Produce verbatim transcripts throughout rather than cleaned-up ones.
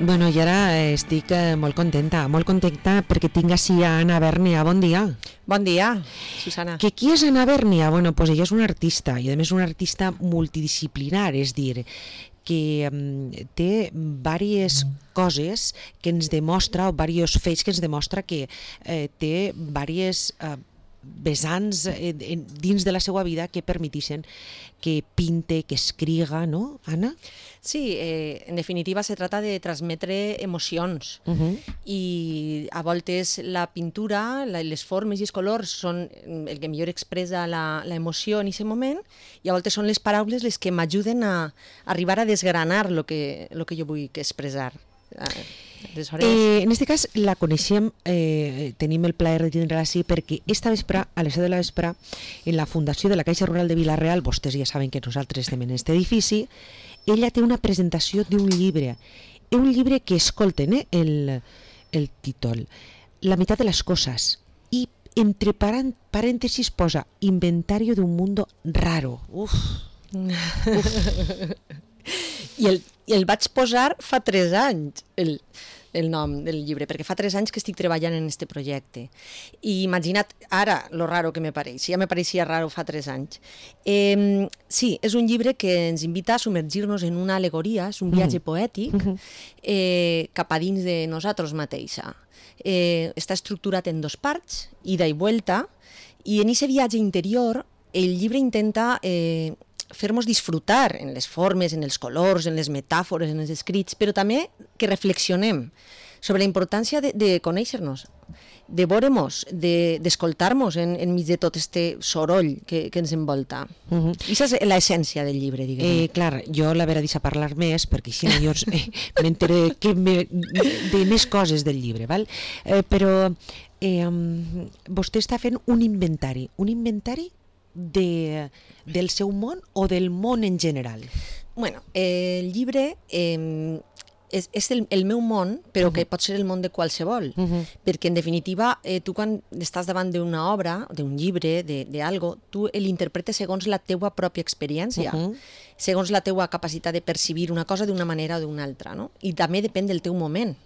Bueno, i ara estic eh, molt contenta, molt contenta perquè tinc així a Anna Bèrnia. Bon dia. Bon dia, Susana. Que qui és Anna Bèrnia? Bueno, pues ella és una artista, i a més una artista multidisciplinar, és dir, que um, té diverses coses que ens demostra, o diversos fets que ens demostra que eh, té diverses eh, vessants eh, dins de la seva vida que permetixen que pinte, que escriga, ¿no, Anna? Sí, eh, en definitiva se trata de transmetre emocions uh-huh. i a voltes la pintura, la, les formes i els colors són el que millor expressa l'emoció en aquest moment i a voltes són les paraules les que m'ajuden a, a arribar a desgranar el que, lo que jo vull expressar. Eh, en este cas la coneixem, eh, tenim el plaer de tindre-la així perquè esta vespre, a les set de la vespre, en la Fundació de la Caixa Rural de Vila-real, vostès ja saben que nosaltres estem en aquest edifici, ella té una presentació d'un llibre, un llibre que escolten, eh, el, el títol, La meitat de les coses, i entre parèntesis posa Inventario de un mundo raro. Uf. Uf. I el, i el vaig posar fa tres anys, el, el nom del llibre, perquè fa tres anys que estic treballant en este projecte. I imagina't ara lo raro que me pareix, ja me pareixia raro fa tres anys. Eh, sí, és un llibre que ens invita a submergir-nos en una alegoria, és un viatge poètic eh, cap a dins de nosaltres mateixa. Eh, està estructurat en dos parts, ida i vuelta, i en aquest viatge interior el llibre intenta eh, fer-nos disfrutar en les formes, en els colors, en les metàfores, en els escrits, però també que reflexionem sobre la importància de, de conèixer-nos, de veure-nos, d'escoltar-nos de, enmig de tot este soroll que, que ens envolta. Uh-huh. I aquesta és l'essència del llibre, diguem. Eh, clar, jo la vera deixa parlar més, perquè així jo eh, m'enteré me, de més coses del llibre, val? Eh, però eh, vostè està fent un inventari, un inventari De, del seu món o del món en general? Bueno, eh, el llibre eh, és, és el, el meu món, però uh-huh. que pot ser el món de qualsevol, uh-huh. perquè en definitiva eh, tu quan estàs davant d'una obra, d'un llibre, d'algo, tu l'interpretes segons la teua pròpia experiència, uh-huh. segons la teua capacitat de percibir una cosa d'una manera o d'una altra, no? I també depèn del teu moment.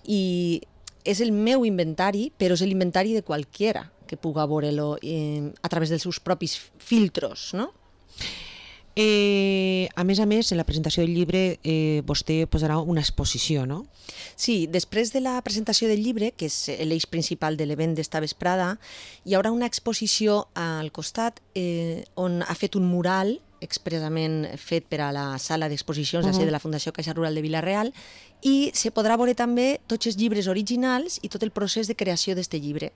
I és el meu inventari, però és l'inventari de qualquiera que puga veure-lo eh, a través dels seus propis filtros, no? Eh, a més a més, en la presentació del llibre eh, vostè posarà una exposició, no? Sí, després de la presentació del llibre, que és l'eix principal de l'event d'esta vesprada, hi haurà una exposició al costat eh, on ha fet un mural expressament fet per a la sala d'exposicions uh-huh. de la Fundació Caixa Rural de Vila-real i se podrà veure també tots els llibres originals i tot el procés de creació d'aquest llibre.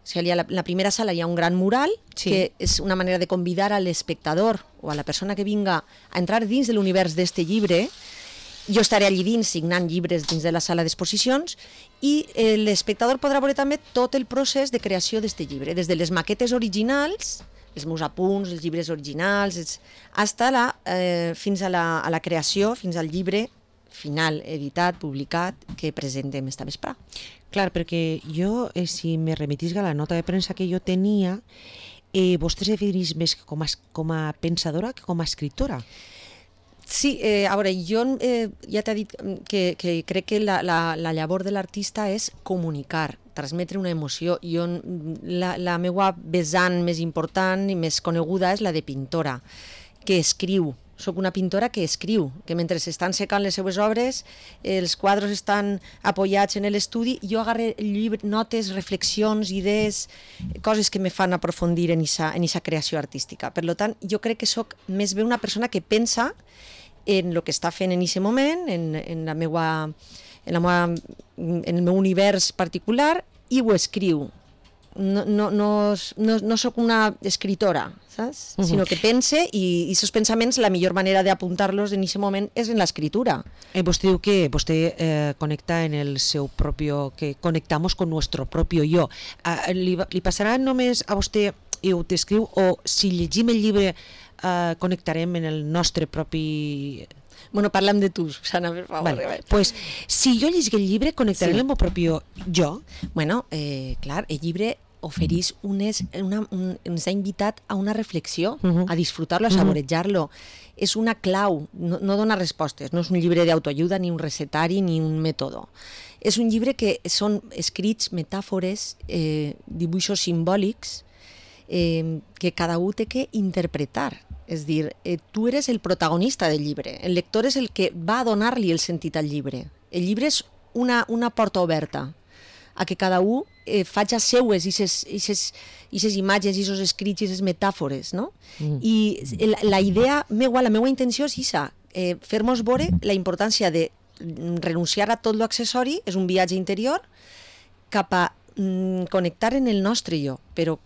O sigui, en la primera sala hi ha un gran mural, sí. que és una manera de convidar a l'espectador o a la persona que vinga a entrar dins de l'univers d'aquest llibre. Jo estaré allí dins signant llibres dins de la sala d'exposicions i eh, l'espectador podrà veure també tot el procés de creació d'aquest llibre, des de les maquetes originals, els meus apunts, els llibres originals, els, hasta la, eh, fins a la, a la creació, fins al llibre final, editat, publicat, que presentem esta vespre. Clar, perquè jo, eh, si me remitisca a la nota de premsa que jo tenia, eh, vostè se defineix més com a, com a pensadora que com a escriptora. Sí, eh, a veure, jo eh, ja t'he dit que, que crec que la, la, la llavor de l'artista és comunicar, transmetre una emoció. Jo, la, la meva vessant més important i més coneguda és la de pintora, que escriu. Soc una pintora que escriu, que mentre s'estan secant les seues obres, els quadres estan apoyats en l'estudi, jo agarre llibre, notes, reflexions, idees, coses que me fan aprofundir en esa, en esa creació artística. Per tant, jo crec que soc més bé una persona que pensa en el que està fent en aquest moment, en, en, la meua, en, la meua, en el meu univers particular, i ho escriu. No, no, no, no, no soc una escritora, saps? Uh-huh. Sinó que pense i aquests pensaments la millor manera d'apuntar-los en aquest moment és en l'escritura. Eh, vostè diu que vostè eh, connecta en el seu propio, que conectamos con nuestro propio yo. Ah, li, li passarà només a vostè i ho t'escriu o si llegim el llibre eh, connectarem en el nostre propi... Bueno, parlem de tu, Susana, per favor. Vale. Pues, si jo llegir el llibre, connectaré sí. el meu propi jo. Bueno, eh, clar, el llibre oferís unes, una, un, ens ha invitat a una reflexió, uh -huh. a disfrutar-lo, a saborejar-lo. Uh-huh. És una clau, no, no dona respostes, no és un llibre d'autoajuda, ni un recetari, ni un mètode. És un llibre que són escrits, metàfores, eh, dibuixos simbòlics, eh, que cada un té que interpretar. És a dir, eh, tu eres el protagonista del llibre, el lector és el que va a donar-li el sentit al llibre. El llibre és una, una porta oberta a que cada un eh, faci seues aquestes imatges, aquests escrits, aquestes metàfores, no? Mm. I la, la idea meua, la meva intenció és això, eh, fer-nos veure la importància de renunciar a tot l'accessori, és un viatge interior, cap a mm, connectar en el nostre jo, però,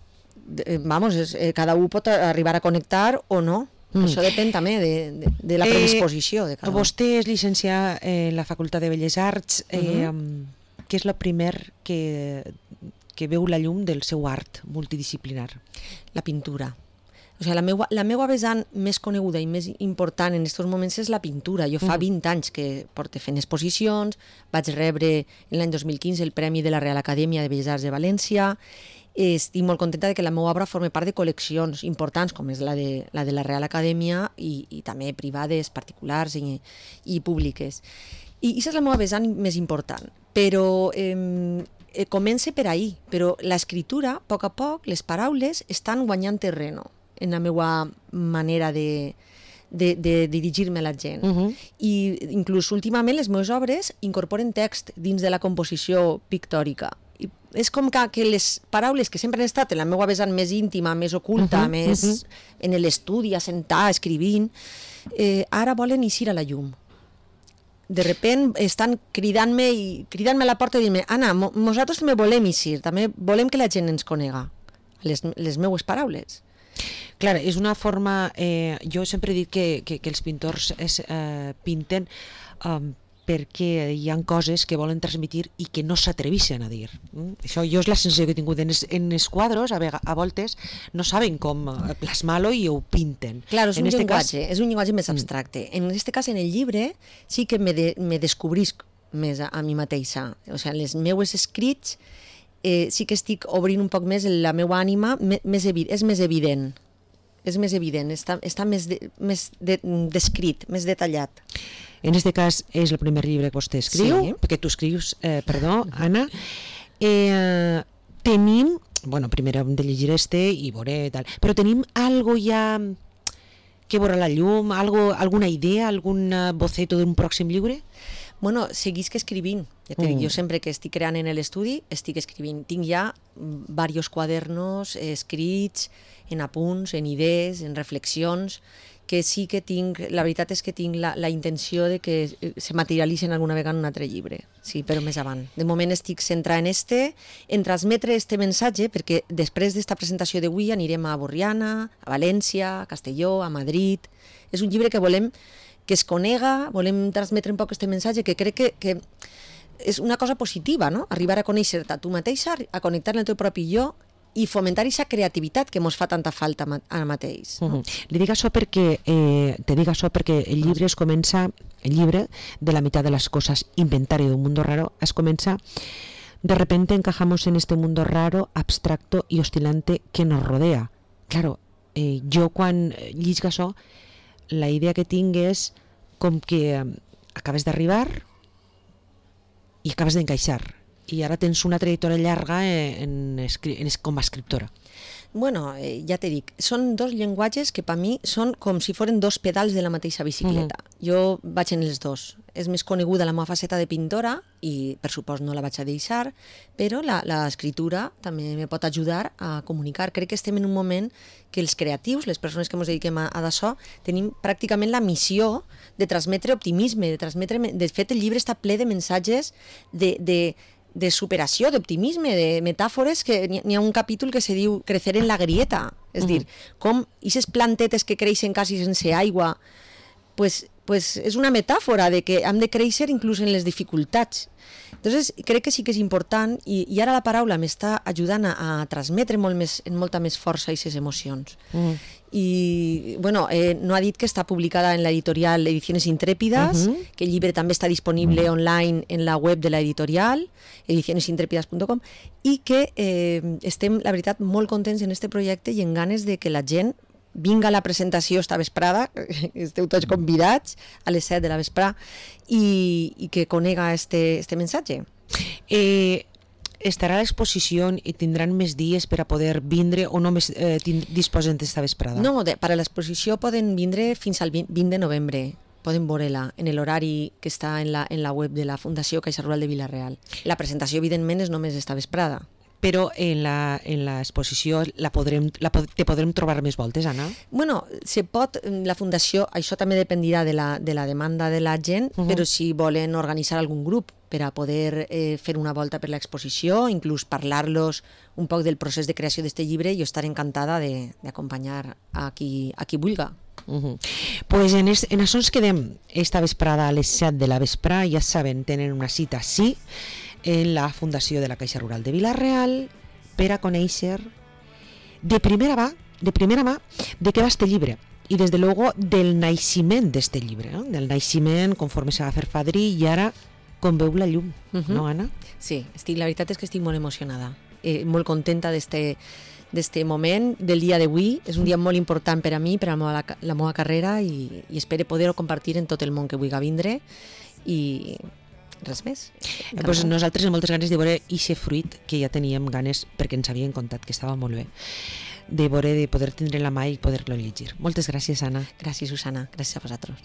eh, vamos, és, eh, cada un pot arribar a connectar o no. Mm. Això depèn també de, de, de la predisposició de cada un. Vostè és llicenciat en la Facultat de Belles Arts, eh, mm-hmm. què és el primer que, que veu la llum del seu art multidisciplinar? La pintura. O sigui, la meua, la meua vessant més coneguda i més important en aquests moments és la pintura. Jo fa vint anys que porto fent exposicions, vaig rebre l'any dos mil quinze el Premi de la Real Acadèmia de Belles Arts de València. Estic molt contenta de que la meva obra formi part de col·leccions importants, com és la de la, de la Real Acadèmia, i, i també privades, particulars i, i públiques. I aquesta és la meva vessant més important, però eh, eh, comença per ahir, però l'escriptura, a poc a poc, les paraules estan guanyant terreno en la meva manera de, de, de dirigir-me a la gent. Uh-huh. I inclús últimament les meves obres incorporen text dins de la composició pictòrica. I és com que, que les paraules que sempre han estat en la meva vessant més íntima, més oculta, uh-huh, més uh-huh. en l'estudi, assentar, escrivint, eh, ara volen eixir a la llum. De repent estan cridant-me i cridant-me a la porta i dient-me Anna, nosaltres també volem eixir, també volem que la gent ens conega, les, les meues paraules. Clar, és una forma... Eh, jo sempre he dit que, que, que els pintors es, eh, pinten um, perquè hi ha coses que volen transmitir i que no s'atreveixen a dir. Mm? Això jo és la sensació que he tingut. En els, en els quadros, a, vega, a voltes, no saben com plasmar-lo i ho pinten. Clar, és un, en llenguatge, cas... és un llenguatge més abstracte. Mm. En aquest cas, en el llibre, sí que me, de, me descobrisc més a, a mi mateixa. O sigui, les meues escrits eh, sí que estic obrint un poc més la meva ànima, més evi- és més evident. És més evident, està, està més, de, més de, descrit, més detallat. En aquest cas és el primer llibre que vostè escriu, sí. Perquè tu escrius, eh, perdó, Anna. Eh, tenim, bueno, primer hem de llegir este i veure tal, però tenim algo ja que veurà la llum, algo, alguna idea, algun boceto d'un pròxim llibre? Bueno, seguisc escrivint. Ja te mm. dic, jo sempre que estic creant en l'estudi, estic escrivint. Tinc ja diversos quadernos escrits, en apunts, en idees, en reflexions, que sí que tinc, la veritat és que tinc la, la intenció de que se materialitzen alguna vegada en un altre llibre, sí, però més avant. De moment estic centrada en este, en transmetre este missatge, perquè després d'esta presentació d'avui anirem a Borriana, a València, a Castelló, a Madrid. És un llibre que volem que es conega, volem transmetre un poc este missatge, que crec que, que és una cosa positiva, no? Arribar a conèixer-te a tu mateixa, a connectar amb el teu propi jo, i fomentar aquesta creativitat que ens fa tanta falta ara mateix. No? Uh-huh. Li dic això perquè, eh, te dic això perquè el llibre es comença, el llibre de la mitad de las cosas, inventario de un mundo raro, es comença, de repente encajamos en este mundo raro, abstracto y oscilante que nos rodea. Claro, eh, jo quan llisc això, la idea que tinc és com que eh, acabes d'arribar i acabes d'encaixar. I ara tens una trajectòria llarga en, en, com a escriptora. Bueno, eh, ja te dic, són dos llenguatges que per mi són com si foren dos pedals de la mateixa bicicleta. Uh-huh. Jo vaig en els dos. És més coneguda la meva faceta de pintora i, per supost, no la vaig a deixar, però l'escriptura també me pot ajudar a comunicar. Crec que estem en un moment que els creatius, les persones que ens dediquem a, a d'això, tenim pràcticament la missió de transmetre optimisme, de transmetre... De fet, el llibre està ple de missatges de... de de superació, d'optimisme, de metàfores, que n'hi ha un capítol que se diu crecer en la grieta, és uh-huh. dir, com aquestes plantetes que creixen quasi sense aigua pues, pues és una metàfora de que hem de créixer inclús en les dificultats. Entonces, crec que sí que és important i, i ara la paraula m'està ajudant a, a transmetre molt més, en molta més força aquestes emocions. Mm. I, bueno, eh, no ha dit que està publicada en l'editorial Ediciones Intrépidas, uh -huh. que el llibre també està disponible uh -huh. online en la web de l'editorial, ediciones intrépidas punto com, i que eh, estem, la veritat, molt contents en este projecte i en ganes de que la gent vinga a la presentació esta vesprada, esteu tots convidats a les set de la vesprada, i, i que conega este, este mensatge. Eh, estarà a l'exposició i tindran més dies per a poder vindre o només eh, disposen d'esta vesprada? No, de, per a l'exposició poden vindre fins al vint de novembre. Poden veure-la en l'horari que està en la, en la web de la Fundació Caixa Rural de Vila-real. La presentació, evidentment, és només esta vesprada. Però en la, en l'exposició la podrem, la, te podrem trobar més voltes, Anna? Bueno, se pot, la Fundació, això també dependirà de la, de la demanda de la gent, uh -huh. però si volen organitzar algun grup per a poder eh, fer una volta per l'exposició, inclús parlar-los un poc del procés de creació d'este llibre, jo estaré encantada d'acompanyar a qui, a qui vulga. Uh -huh. Pues en, es, en això ens quedem esta vesprada a les set de la vesprada, ja saben, tenen una cita, sí, en la Fundació de la Caixa Rural de Vila-real per a conèixer de primera mà, de primera mà de què va este llibre i des de luego del naixement d'este llibre, no? Del naixement conforme se va fer fadrí i ara com veu la llum, uh-huh. no, Anna? Sí, estic, la veritat és que estic molt emocionada, eh, molt contenta d'este d'este moment, del dia d'avui. És un dia molt important per a mi, per a la meva, la meva carrera, i, i espero poder-ho compartir en tot el món que vulgui vindre, i res més. Eh, pues nosaltres amb moltes ganes de veure ixe fruit que ja teníem ganes perquè ens havien contat que estava molt bé, de veure, de poder tindre la mà i poder-lo llegir. Moltes gràcies, Anna. Gràcies, Susana. Gràcies a vosaltres.